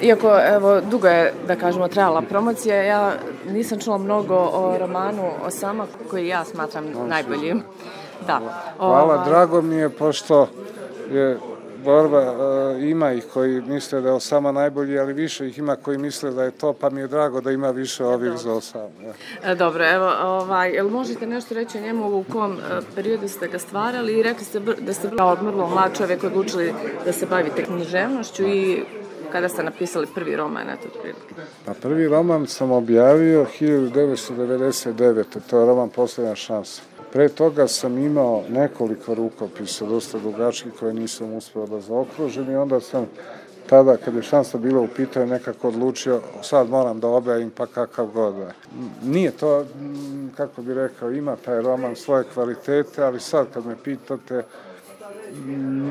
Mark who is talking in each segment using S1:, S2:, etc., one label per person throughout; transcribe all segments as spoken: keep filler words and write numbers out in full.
S1: iako evo, dugo je, da kažemo, trajala promocija, ja nisam čula mnogo o romanu Osama, koji ja smatram najboljim. Da.
S2: Hvala,
S1: Ova...
S2: drago mi je, pošto je borba, e, ima ih koji misle da je Osama najbolji, ali više ih ima koji misle da je to, pa mi je drago da ima više ovih za Osama. Ja.
S1: Dobro, evo, ovaj, jel možete nešto reći o njemu, u kom periodu ste ga stvarali i rekli ste da ste kao vrlo mlad čovjek odlučili da se bavite književnošću i kada ste napisali prvi roman, eto otprilike?
S2: Pa prvi roman sam objavio hiljadu devetsto devedeset devete. To je roman Posljednja šansa. Pre toga sam imao nekoliko rukopisa, dosta dugačkih, koje nisam uspeo da zaokružim i onda sam tada, kad je šansa bila u pitanju, nekako odlučio, sad moram da objavim pa kakav god. Nije to, kako bi rekao, ima taj roman svoje kvalitete, ali sad kad me pitate,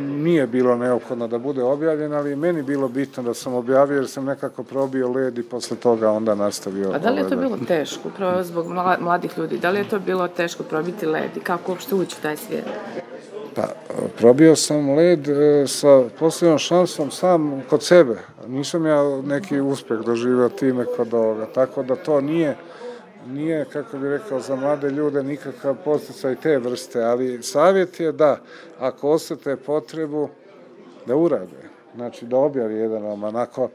S2: nije bilo neophodno da bude objavljen, ali meni bilo bitno da sam objavio jer sam nekako probio led i posle toga onda nastavio.
S1: A da li je to bilo teško, upravo zbog mladih ljudi, da li je to bilo teško probiti led i kako uopšte ući u taj svijet?
S2: Pa, probio sam led sa Posljednjom šansom sam kod sebe. Nisam ja neki uspeh doživio time kod ovoga, tako da to nije Nije, kako bih rekao, za mlade ljude nikakav podsticaj te vrste, ali savjet je da, ako osjete potrebu, da urade, znači da objavi jedan roman. Ako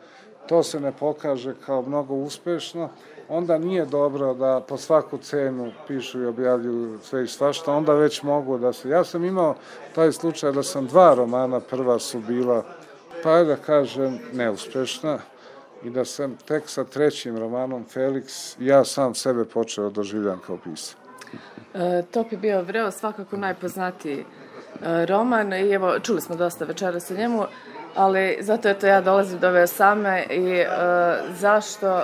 S2: to se ne pokaže kao mnogo uspešno, onda nije dobro da po svaku cenu pišu i objavljuju sve i svašta, onda već mogu da se... Ja sam imao taj slučaj da sam dva romana, prva su bila, pa da kažem, neuspešna, i da sam tek sa trećim romanom Felix, ja sam sebe počeo doživljam kao pisac.
S1: E, Top je bio vreo svakako najpoznatiji e, roman i evo, čuli smo dosta večeras o njemu, ali zato eto ja dolazim do ove Osame i e, zašto,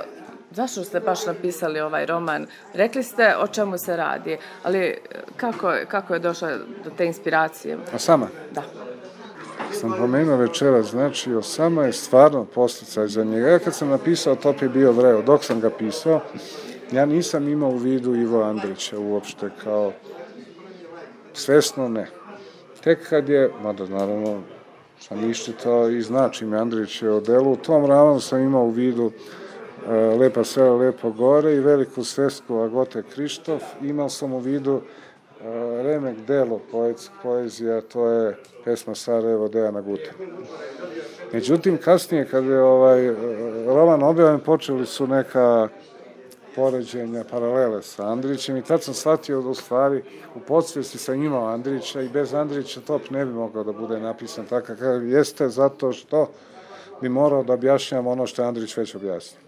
S1: zašto ste baš napisali ovaj roman? Rekli ste o čemu se radi, ali kako, kako je došla do te inspiracije?
S2: Osama?
S1: Da.
S2: Sam pomenuo večera, znači Osama je stvarno posticaj za njega. Ja kad sam napisao Top je bio vreo, dok sam ga pisao, ja nisam imao u vidu Ivo Andrića uopšte kao svesno ne. Tek kad je, mada naravno sam iščitao i znači mi Andrić je o delu, u tom romanu sam imao u vidu uh, Lepa sela, lepo gore i veliku svesku Agote Krištof. Imao sam u vidu uh, remek delo poetsk, poezija, to je pesma Sarajevo Dejana Gute. Međutim, kasnije, kad je ovaj roman objavljen, počeli su neka poređenja, paralele sa Andrićem i tad sam shvatio da u stvari u podsvijesti sam imao Andrića i bez Andrića Top ne bi mogao da bude napisan tako kako jeste, zato što bi morao da objašnjam ono što je Andrić već objasnio.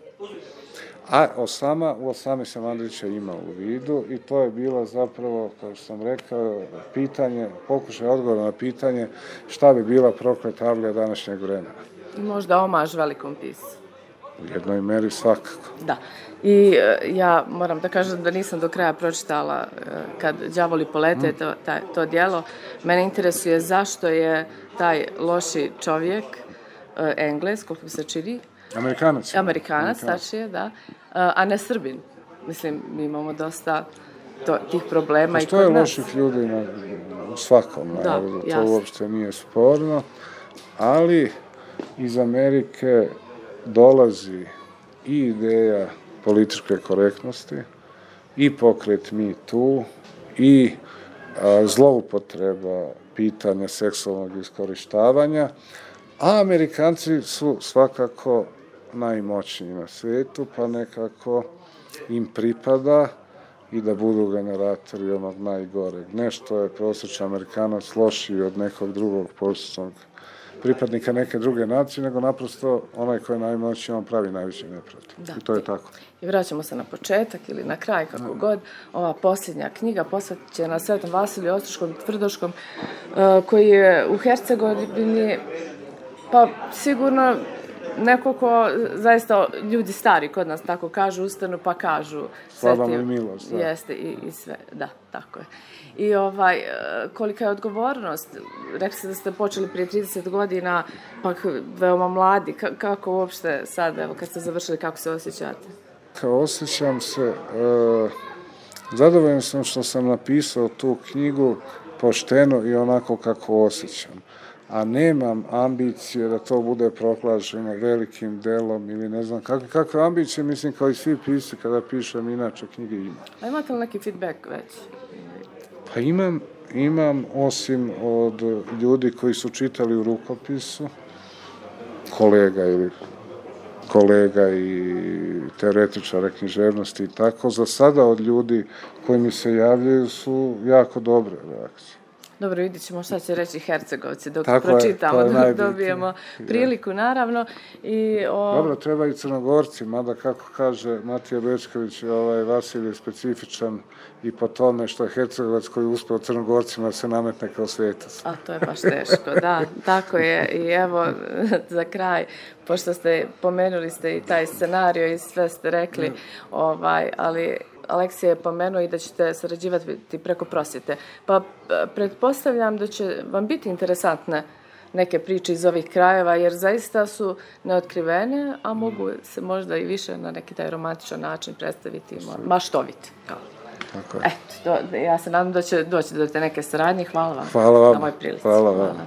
S2: A Osama, u Osami sam Andrića imao u vidu i to je bilo zapravo, kao što sam rekao, pitanje, pokušaj odgovora na pitanje šta bi bila prokleta avlija današnjeg vremena.
S1: I možda omaž velikom pisu.
S2: U jednoj meri svakako.
S1: Da. I e, ja moram da kažem da nisam do kraja pročitala e, kad đavoli polete mm. to, taj, to djelo. Mene interesuje zašto je taj loši čovjek, e, Engles, koliko se čini,
S2: Amerikanac.
S1: Amerikanac, tačnije, da. A ne Srbin. Mislim, mi imamo dosta to, tih problema i kod nas.
S2: Postoje loših ljudi na, u svakom narodu, to jasno. Uopšte nije sporno, ali iz Amerike dolazi i ideja političke korektnosti, i pokret Me Too, i a, zloupotreba pitanja seksualnog iskorištavanja, a Amerikanci su svakako najmoćniji na svijetu, pa nekako im pripada i da budu generatori onog najgoreg. Nešto je prosječan Amerikanac lošiji od nekog drugog prosječnog pripadnika neke druge nacije, nego naprosto onaj koji je najmoćniji, on pravi najveći nepravdu. I to je tako.
S1: I vraćamo se na početak ili na kraj, kako no. god. Ova posljednja knjiga posvećena Svetom Vasiliju Ostroškom Tvrdoškom, koji je u Hercegovini, pa sigurno neko ko zaista ljudi stari kod nas tako kažu, ustanu pa kažu.
S2: Slava mu i milost. Da.
S1: Jeste i, i sve, da, tako je. I ovaj, kolika je odgovornost, rekli ste da ste počeli prije trideset godina, pa veoma mladi, K- kako uopšte sad, evo kad ste završili, kako se osjećate?
S2: Kao osjećam se, e, zadovoljan sam što sam napisao tu knjigu pošteno i onako kako osjećam. a nemam ambicije da to bude proglašeno velikim delom ili ne znam kakve, kakve ambicije, mislim, kao i svi pisci kada pišem inače knjige ima.
S1: A imate li neki feedback već?
S2: Pa imam, imam osim od ljudi koji su čitali u rukopisu, kolega ili kolega i teoretičara književnosti i tako, za sada od ljudi koji mi se javljaju su jako dobre reakcije.
S1: Dobro, vidit ćemo šta će reći Hercegovci dok
S2: Tako
S1: pročitamo,
S2: je,
S1: dok dobijemo priliku, naravno. I, o...
S2: Dobro, treba i Crnogorci, mada kako kaže Matija Bečković, ovaj Vasilij je specifičan i po tome što je Hercegovac koji je uspeo Crnogorcima da se nametne kao svetac.
S1: A to je baš teško, da, tako je. I evo, za kraj, pošto ste pomenuli ste i taj scenario i sve ste rekli, mm. ovaj, ali Aleksija je pomenuo i da ćete sarađivati preko prosvjete. Pa pretpostavljam da će vam biti interesantne neke priče iz ovih krajeva, jer zaista su neotkrivene, a mogu se možda i više na neki taj romantičan način predstaviti, maštoviti.
S2: Tako je.
S1: Eto, ja se nadam da će doći do te neke saradnje. Hvala vam
S2: Hvala vam.
S1: na ovoj prilici.
S2: Hvala vam.